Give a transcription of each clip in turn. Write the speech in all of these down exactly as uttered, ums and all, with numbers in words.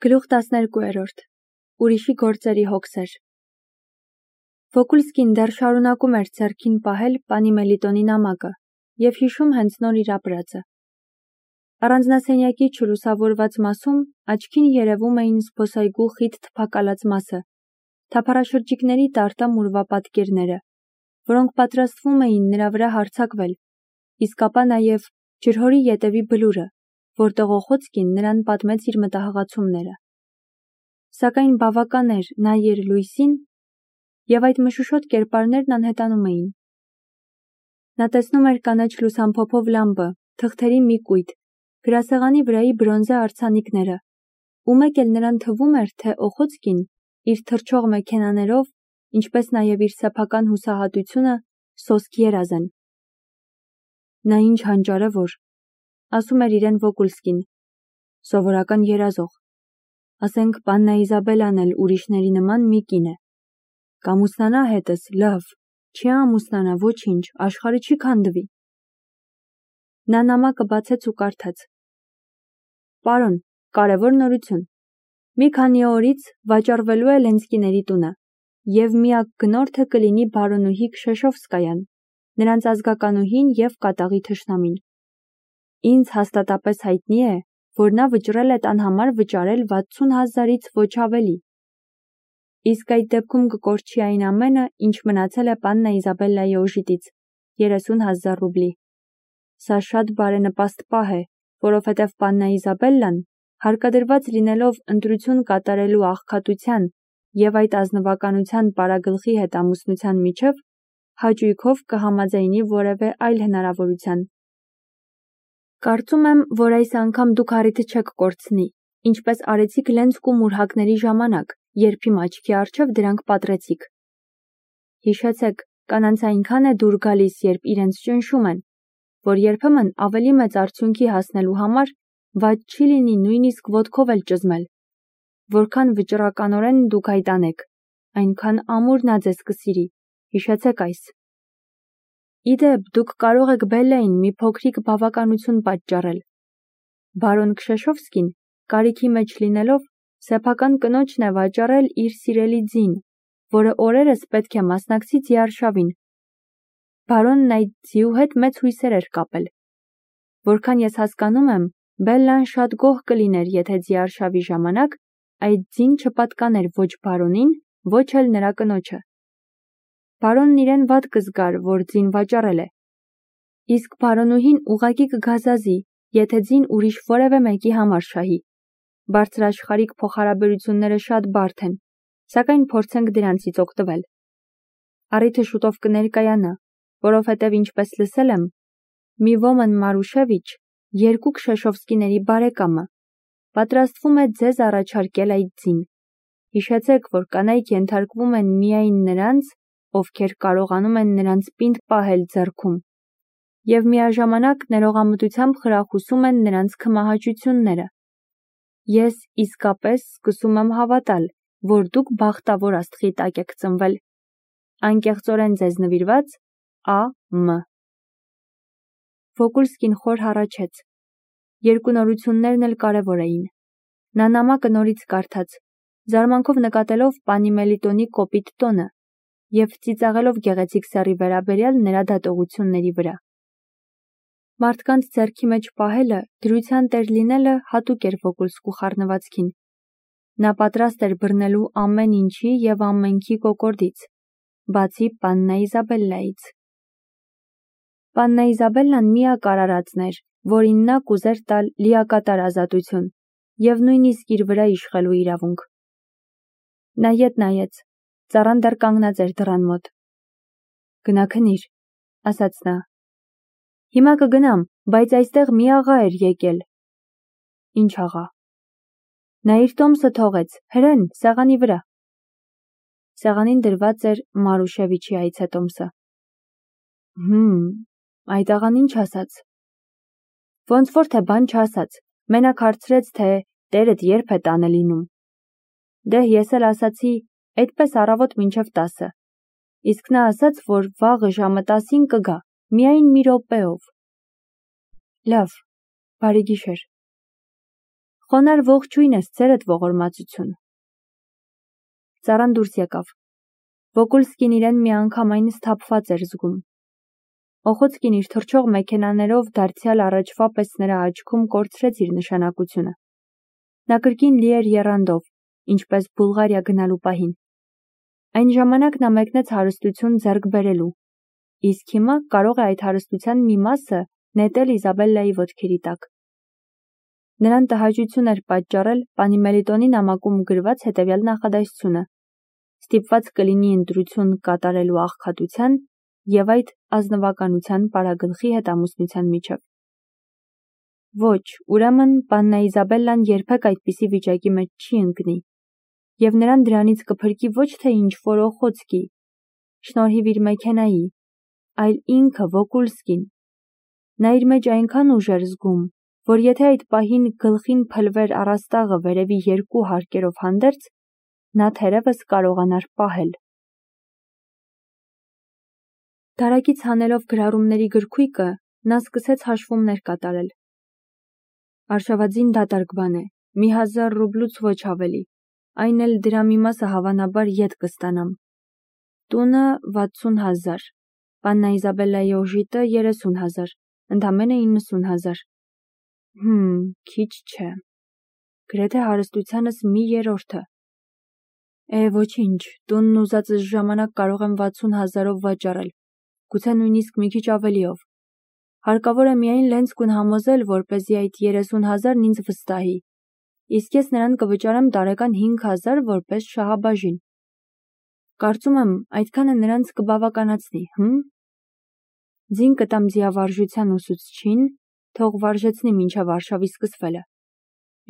Գլուխ տասներկուերորդ Ուրիշի գործերի հոգսեր Վոկուլսկին դեռ շարունակում էր ձեռքին պահել պանի Մելիտոնի նամակը և հիշում հենց նոր իր ապրածը։ Առանձնասենյակի չլուսավորված մասում աչքին երևում էին զբոսայգու խիտ թփակալած մասը, թափառաշրջիկների տարտամ ուրվապատկերները, որոնք պատրաստվում էին նրա վրա հարձակվել, իսկ ապա նաև ջրհորի ետևի բլուրը, որտեղ Օխոցկին նրան պատմեց իր մտահղացումները։ Սակայն բավական էր նայեր լույսին, և այդ մշուշոտ կերպարներն անհետանում էին։ Նա տեսնում էր կանաչ լուսամփոփով լամպը, թղթերի մի կույտ, գրասեղանի վրայի բրոնզե արձանիկները, ու մեկ էլ նրան թվում էր, թե Օխոցկին իր թռչող մեքենաներով, ինչպես նաև իր սեփական հուսահատությունը սոսկ երազ են։ Նա ինչ հանճարևոր, ասում էր իրեն Վոկուլսկին, սովորական երազող, ասենք պաննա Իզաբելլան էլ ուրիշների նման մի կին է, կամուսնանա հետս, լավ, չի ամուսնանա, ոչինչ, աշխարհը չի քանդվի։ Նա նամակը բացեց ու կարդաց. Պարոն, կարևոր նորություն։ Մի քանի օրից վաճառվելու է Լենսկիների տունը, և միակ գնորդը կլինի բարոնուհի Քշեշովսկայան, նրանց ազգականուհին և կատաղի թշնամին։ Ինձ հաստատապես հայտնի է, որ նա վճռել է տան համար վճարել վաթսուն հազարից ոչ ավելի։ Իսկ այդ դեպքում կկորչի այն ամենը, ինչ մնացել է պաննա Իզաբելլայի օժիտից, երեսուն հազար ռուբլի։ Սա շատ բարենպաստ պահ է, որովհետև պաննա Իզաբելլան, հարկադրված լինելով ընտրություն կատարելու աղքատության և այդ ազնվականության պարագլխի հետ ամուսնության միջև, հաճույքով կհամաձայնի որևէ այլ հնարավորության։ Կարծում եմ, որ այս անգամ դուք առիթը չեք կորցնի, ինչպես արեցիք Լենսկու մուրհակների ժամանակ, երբ իմ աչքի առջև դրանք պատռեցիք։ Հիշեցեք, կանանց այնքան է դուր գալիս, երբ իրենց ճնշում են, որ երբեմն ավելի մեծ արդյունքի հասնելու համար վատ չի լինի նույնիսկ ոտքով էլ ճզմել։ Որքան վճռականորեն դուք այդ անեք, այնքան ամուր նա ձեզ կսիրի, հիշեցեք այս։ Իդեպ, դուք կարող եք Բելլային մի փոքրիկ բավականություն պատճառել։ Բարոն Քշեշովսկին, կարիքի մեջ լինելով, սեփական կնոջն է վաճառել իր սիրելի ձին, որը օրերս պետք է մասնակցի ձիարշավին։ Բարոնն այդ ձիու հետ մեծ հույսեր էր կապել։ Որքան ես հասկանում եմ, Բելլան շատ գոհ կլիներ, եթե ձիարշավի ժամանակ այդ ձին չպատկաներ ոչ բարոնին, ոչ էլ նրա կնոջը։ Բարոնն իրեն վատ կզգար, որ ձին վաճառել է։ Իսկ բարոնուհին ուղղակի կգազազի, եթե ձին ուրիշ որևէ մեկի համար շահի։ Բարձրաշխարհիկ փոխհարաբերությունները շատ բարդ են, սակայն փորձենք դրանցից օգտվել։ Առիթը շուտով կներկայանա, որովհետև ինչպես լսել եմ, մի Ոմն Մարուշևիչ, երկու Քշեշովսկիների բարեկամը, պատրաստվում է ձեզ առաջարկել այդ ձին։ Հիշեցեք, որ կանայք ենթարկվում են միայն նրանց, ովքեր կարողանում են նրանց պինդ պահել ձեռքում, և միաժամանակ ներողամտությամբ խրախուսում են նրանց քմահաճությունները։ Ես իսկապես սկսում եմ հավատալ, որ դուք բախտավոր աստղի տակ եք ծնվել։ Անկեղծորեն ձեզ նվիրված Ա Մ Վոկուլսկին խոր հառաչեց։ Երկու նորություններն էլ կարևոր էին։ Նա նամակը նորից կարդաց, զարմանքով նկատելով պանի Մելիտոնի կոպիտ տոնը և ծիծաղելով գեղեցիկ սեռի վերաբերյալ նրա դատողությունների վրա։ Մարդկանց ձեռքի մեջ պահելը, դրության տեր լինելը հատուկ էր Վոկուլսկու խառնվածքին։ Նա պատրաստ էր բռնելու ամեն ինչի և ամենքի կոկորդից, բացի պաննա Իզաբելլայից։ Պաննա Իզաբելլան միակ արարածն էր, որին նա կուզեր տալ լիակատար ազատություն և նույնիսկ իր վրա իշխելու իրավունք։ Նա ետ նայեց, ծառան դեռ կանգնած էր դռան մոտ։ Գնա քնիր, ասաց նա։ Հիմա կգնամ, բայց այստեղ մի աղա էր եկել։ Ինչ աղա։ Նա իր տոմսը թողեց, հրեն, սեղանի վրա։ Սեղանին դրված էր Մարուշևիչի այցետոմսը։ Հմ, այդ աղան ինչ ասաց։ Ոնց որ թե բան չասաց, մենակ հարցրեց, թե տերդ երբ է տանը լինում։ Դե ես էլ ասացի, այդպես առավոտ մինչև տասը, իսկ նա ասաց, որ վաղը ժամը տասին կգա, միայն մի րոպեով։ Լավ, բարի գիշեր։ Խոնար ողջույն ես, ձերդ ողորմածություն։ Ծառան դուրս եկավ։ Վոկուլսկին իրեն միանգամայն սթափված էր զգում։ Օխոցկին իր թռչող մեքենաներով դարձյալ առաջվա պես նրա աչքում կորցրեց իր նշանակությունը։ Նա կրկին լի էր եռանդով, ինչպես Բուլղարիա գնալու պահին։ Այն ժամանակ նա մեկնեց հարստություն ձեռք բերելու, իսկ հիմա կարող է այդ հարստության մի մասը նետել Իզաբելլայի ոտքերի տակ։ Նրան տհաճություն էր պատճառել Պանիմելիտոնի նամակում գրված հետևյալ նախադասությունը. ստիպված կլինի ընտրություն կատարելու աղքատության և այդ ազնվականության պարագլխի հետ ամուսնության միջև։ Ոչ, ուրեմն պաննա Իզաբելլան երբեք այդպիսի վիճակի մեջ չի ընկնի, և նրան դրանից կփրկի ոչ թե ինչ-որ Օխոցկի, շնորհիվ իր մեքենայի, այլ ինքը Վոկուլսկին։ Նա իր մեջ այնքան ուժ էր զգում, որ եթե այդ պահին գլխին փլվեր առաստաղը վերևի երկու հարկերով հանդերձ, նա թերևս կարողանար պահել։ Դարակից հանելով գրառումների գրքույկը, նա սկսեց հաշվումներ կատարել։ Արշավածին դատարկ բան է, մի հազար ռուբլուց ոչ ավելի, այն էլ դրա մի մասը հավանաբար ետ կստանամ։ Տունը վաթսուն հազար, պաննա Իզաբելլայի օժիտը երեսուն հազար, ընդամենը իննսուն հազար։ Հմ, քիչ չէ։ Գրեթե հարստությանս մի երրորդը։ Է, ոչինչ, տունն ուզածս ժամանակ կարող եմ վաթսուն հազարով վաճառել, գուցե նույնիսկ մի քիչ ավելիով։ Հարկավոր է միայն Լենցկուն համոզել, որպեսզի այդ երեսուն հազարն ինձ վստահի, իսկ ես նրան կվճարեմ տարեկան հինգ հազար որպես շահաբաժին։ Կարծում եմ, այդքանը նրանց կբավականացնի, հմ։ Ձին կտամ ձիավարժության ուսուցչին, թող վարժեցնի մինչև արշավի սկսվելը։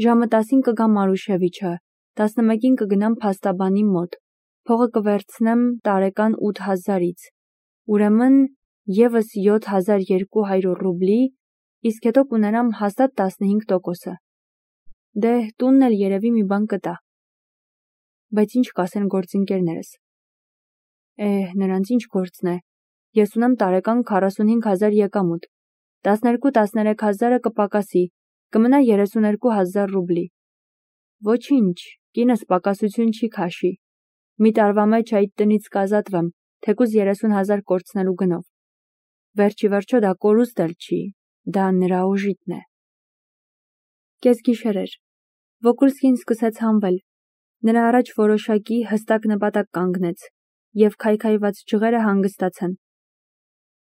Ժամը տասին կգա Մարուշևիչը, տասնմեկին կգնամ փաստաբանի մոտ, փողը կվերցնեմ տարեկան ութ հազարից, ուրեմն ևս յոթ հազար երկու հարյուր ռուբլի, իսկ հետո կունենամ հաստատ տասնհինգ տոկոսը։ Դե, տունն էլ երևի մի բան կտա։ Բայց ինչ կասեն գործընկերներս։ Է, նրանց ինչ գործն է։ Ես ունեմ տարեկան քառասունհինգ հազար եկամուտ, տասներկու տասներեք հազարը կպակասի, կմնա երեսուներկու հազար ռուբլի։ Ոչինչ, կինս պակասություն չի քաշի։ Մի տարվա մեջ այդ տնից կազատվեմ, թեկուզ երեսուն հազար կորցնելու գնով։ Վերջի վերջո դա կորուստ էլ չի, դա նրա օժիտն է։ Կեսգիշեր էր։ Վոկուլսկին սկսեց հանվել։ Նրա առաջ որոշակի հստակ նպատակ կանգնեց, և քայքայված ջղերը հանգստացան։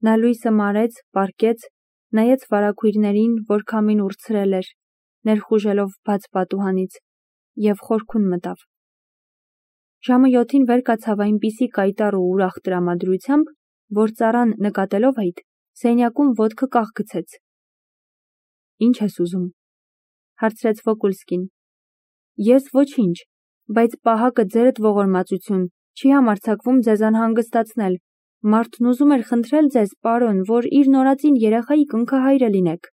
Նա լույսը մարեց, պառկեց, նայեց վարագույրներին, որ քամին ուրցրել էր, ներխուժելով բաց պատուհանից, և խորքուն մտավ։ Ժամը յոթին վեր կացավ այնպիսի կայտառ ու ուրախ տրամադրությամբ, որ ծառան նկատելով այդ, սենյակում ոտքը կախ գցեց։ Ինչ ես ուզում, հարցրեց Վոկուլսկին։ Ես ոչինչ, բայց պահակը ձերդ ողորմածություն, չի համարձակվում ձեզ անհանգստացնել, մարդն ուզում էր խնդրել ձեզ, պարոն, որ իր նորածին երեխայի կնքահայրը լինեք։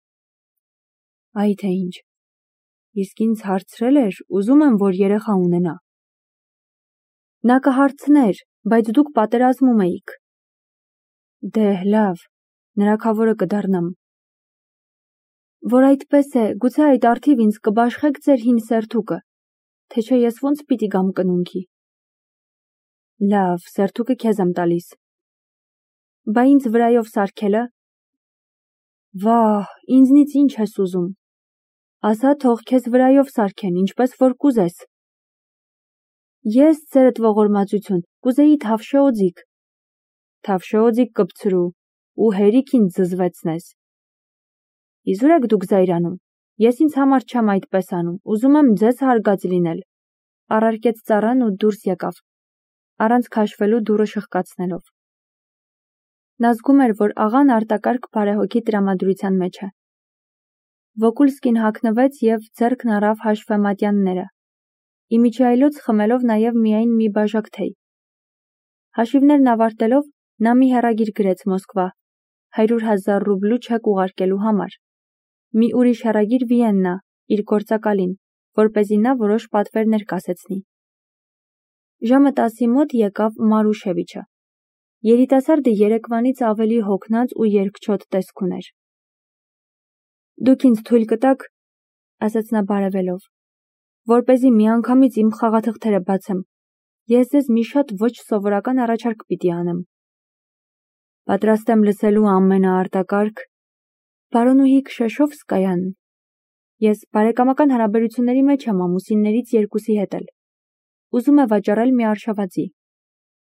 Այ թե ինչ, իսկ ինձ հարցրել էր, ուզում եմ, որ երեխա ունենա։ Նա կհարցներ, բայց դուք պատերազմում էիք։ Դե, լավ, նրա քավորը կդառնամ։ Որ այդպես է, գուցե այդ առթիվ ինձ կբաշխեք ձեր հին սերթուկը, թե չէ ես ոնց պիտի գամ կնունքի։ Լավ, սերթուկը քեզ եմ տալիս։ Բա ինձ վրայով սարքելը։ Վահ, ինձնից ինչ ես ուզում։ Ասա, թող քեզ վրայով սարքեն, ինչպես որ կուզես։ Ես, ձերդ ողորմածություն, կուզեի թավշե օձիք։ Թավշե օձիք կպցրու, ու հերիք ինձ զզվեցնես։ Իզուր եք դուք զայրանում, ես ինձ համար չեմ այդպես անում, ուզում եմ ձեզ հարգած լինել։ Առարկեց ծառան ու դուրս եկավ, առանց քաշվելու դուռը շխկացնելով։ Նա զգում էր, որ աղան արտակարգ բարեհոգի տրամադրության մեջ է։ Վոկուլսկին հագնվեց և ձեռքն առավ հաշվեմատյանները, իմիջիայլոց խմելով նաև միայն մի բաժակ թեյ։ Հաշիվներն ավարտելով, նա մի հեռագիր գրեց Մոսկվա, հարյուր հազար ռուբլու չեք ուղարկելու համար, մի ուրիշ հեռագիր Վիեննա, իր գործակալին, որպեսզի նա որոշ պատվերներ կասեցնի։ Ժամը տասի մոտ եկավ Մարուշևիչը։ Երիտասարդը երեկվանից ավելի հոգնած ու երկչոտ տեսք ուներ։ Դուք ինձ թույլ կտաք, ասաց նա բարևելով, որպեսզի միանգամից իմ խաղաթղթերը բացեմ, ես ձեզ մի շատ ոչ սովորական առաջարկ պիտի անեմ։ Պատրաստ եմ լսելու ամենաարտակարգ Բարոնուհի Քշեշովսկայան։ Ես բարեկամական հարաբերությունների մեջ եմ ամուսիններից երկուսի հետ էլ։ Ուզում է վաճառել մի արշավածի։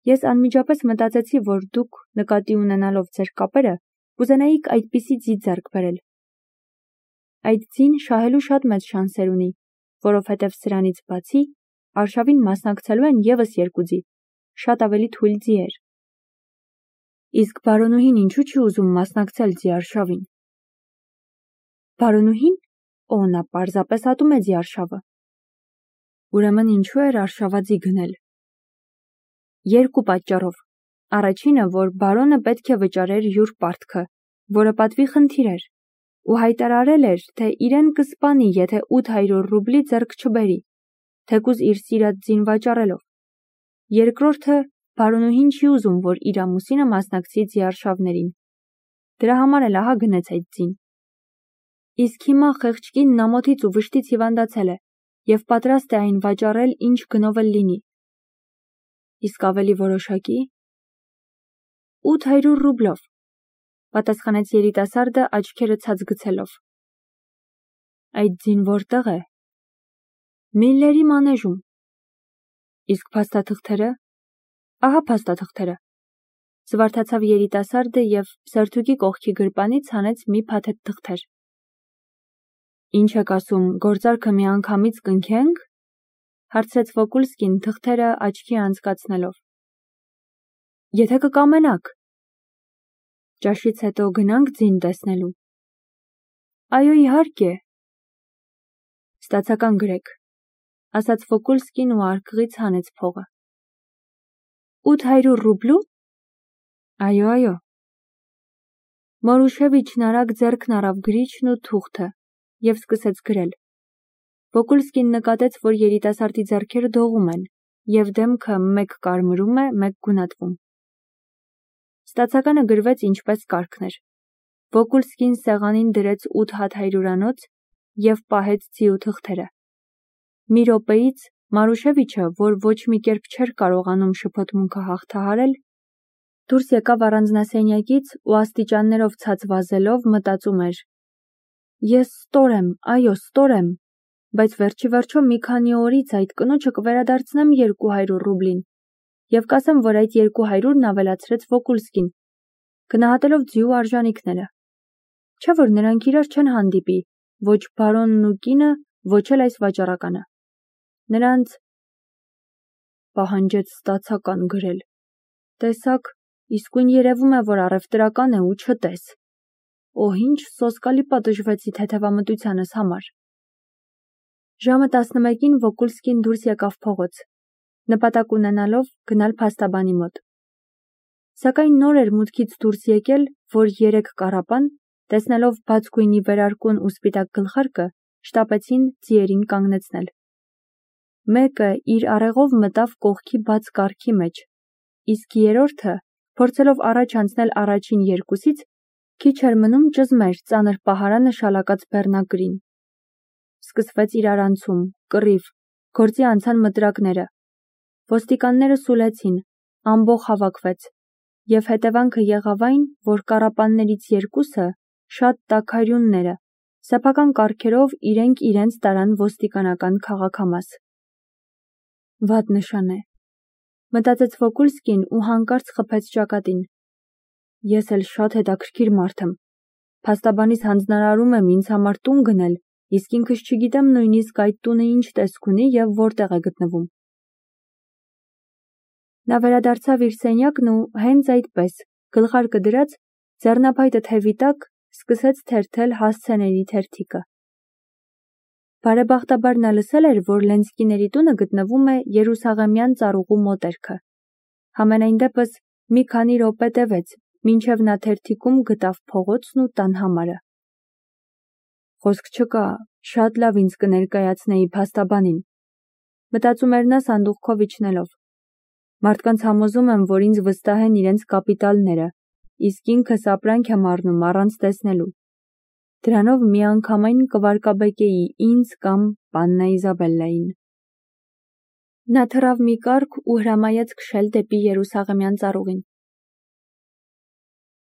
Ես անմիջապես մտածեցի, որ դուք, նկատի ունենալով ձեր կապերը, կուզենայիք այդպիսի ձի ձեռք բերել։ Այդ ձին շահելու շատ մեծ շանսեր ունի, որովհետև սրանից բացի արշավին մասնակցելու են ևս երկու ձի, շատ ավելի թույլ ձիեր։ Իսկ բարոնուհին ինչու չի ուզում մասնակցել ձի արշավին։ Բարոնուհին, օ, նա պարզապես ատում է ձի արշավը։ Ուրեմն ինչու էր արշավաձի գնել։ Երկու պատճառով։ Առաջինը, որ բարոնը պետք է վճարեր յուր պարտքը, որը պատվի խնդիր էր, ու հայտարարել էր, թե իրեն կսպանի, եթե ութ հարյուր ռուբլի ձեռք չբերի, թեկուզ իր սիրած ձին վաճառելով։ Երկրորդը, բարոնուհին չի ուզում, որ իր ամուսինը մասնակցի ձի արշավներին։ Դրա համար էլ ահա գնեց այդ ձին։ Իսկ հիմա խեղճ կինն ամոթից ու վշտից հիվանդացել է և պատրաստ է այն վաճառել ինչ գնով էլ լինի։ Իսկ ավելի որոշակի։ ութ հարյուր ռուբլով, պատասխանեց երիտասարդը աչքերը ցած գցելով։ Այդ ձին որտեղ է։ Միլլերի մանեժում։ Իսկ փաստաթղթերը։ Ահա փաստաթղթերը։ Զվարթացավ երիտասարդը և սերթուկի կողքի գրպանից հանեց մի փաթեթ թղթեր։ Ինչ եք ասում, գործարքը միանգամից կնքենք։ Հարցրեց Վոկուլսկին թղթերը աչքի անցկացնելով։ Եթե կկամենաք։ Ճաշից հետո գնանք ձին տեսնելու։ Այո, իհարկե։ Ստացական գրեք, ասաց Վոկուլսկին ու արկղից հանեց փողը։ ութ հարյուր ռուբլու։ Այո, այո։ Մորուշևիչն արագ ձեռքն առավ գրիչն ու թուղթը և սկսեց գրել։ Վոկուլսկին նկատեց, որ երիտասարդի ձեռքերը դողում են, և դեմքը մեկ կարմրում է, մեկ գունատվում։ Ստացականը գրվեց ինչպես կարգն էր։ Վոկուլսկին սեղանին դրեց ութ հատ հարյուրանոց և պահեց ձիու թղթերը։ Մի րոպեից Մարուշևիչը, որ ոչ մի կերպ չէր կարողանում շփոթմունքը հաղթահարել, դուրս եկավ առանձնասենյակից ու աստիճաններով ցած վազելով մտածում էր. Ես ստոր եմ, այո, ստոր եմ, բայց վերջիվերջո մի քանի օրից այդ կնոջը կվերադարձնեմ երկու հարյուր ռուբլին և կասեմ, որ այդ երկու հարյուրն ավելացրեց Վոկուլսկին, գնահատելով ձիու արժանիքները։ Չէ՞ որ նրանք իրար չեն հանդիպի, ոչ բարոնն ու կինը, ոչ էլ այս վաճառականը։ Նրանց պահանջեց ստացական գրել։ Տեսակ, իսկույն երևում է, որ առևտրական է ու չտես։ Օ, ինչ սոսկալի պատժվեցի թեթևամտությանս համար։ Ժամը տասնմեկին Վոկուլսկին դուրս եկավ փողոց, նպատակ ունենալով գնալ փաստաբանի մոտ։ Սակայն նոր էր մուտքից դուրս եկել, որ երեք կառապան, տեսնելով բաց գույնի վերարկուն ու սպիտակ գլխարկը, շտապեցին ձիերին կանգնեցնել։ Մեկը իր արեղով մտավ կողքի բաց կառքի մեջ, իսկ երրորդը, փորձելով առաջ անցնել առաջին երկուսից, քիչ էր մնում ճզմեր ծանր պահարանը շալակած բեռնակրին։ Սկսվեց իրարանցում, կռիվ, գործի անցան մտրակները։ Ոստիկանները սուլեցին, ամբոխ հավաքվեց, և հետևանքը եղավ այն, որ կառապաններից երկուսը, շատ տաքարյունները, սեփական կառքերով իրենք իրենց տարան ոստիկանական քաղաքամաս։ Վատ նշան է, մտածեց Վոկուլսկին ու հանկարծ խփեց ճակատին։ Ես էլ շատ հետաքրքիր մարդ եմ։ Փաստաբանիս հանձնարարում եմ ինձ համար տուն գնել, իսկ ինքս չգիտեմ նույնիսկ այդ տունը ինչ տեսք ունի և որտեղ է գտնվում։ Նա վերադարձավ իր սենյակն ու հենց այդպես, գլխարկը դրած, ձեռնափայտը թևի տակ, սկսեց թերթել հասցեների թերթիկը։ Բարեբախտաբար նա լսել էր, որ Լենսկիների տունը գտնվում է Երուսաղեմյան ծառուղու մոտերքը։ Համենայն դեպս մի քանի րոպե տևեց, մինչև նա թերթիկում գտավ փողոցն ու տան համարը։ Խոսք չկա, շատ լավ ինձ կներկայացնեի փաստաբանին, մտածում էր նա սանդուղքով իջնելով։ Մարդկանց համոզում եմ, որ ինձ վստահ են իրենց կապիտալները, իսկ ինքս ապրանք եմ առնում առանց տեսնելու։ Դրանով միանգամայն կվարկաբեկեի ինձ կամ Պաննա Իզաբելլային։ Նա թռավ մի կառք ու հրամայեց քշել դեպի Երուսաղեմյան ծառուղին։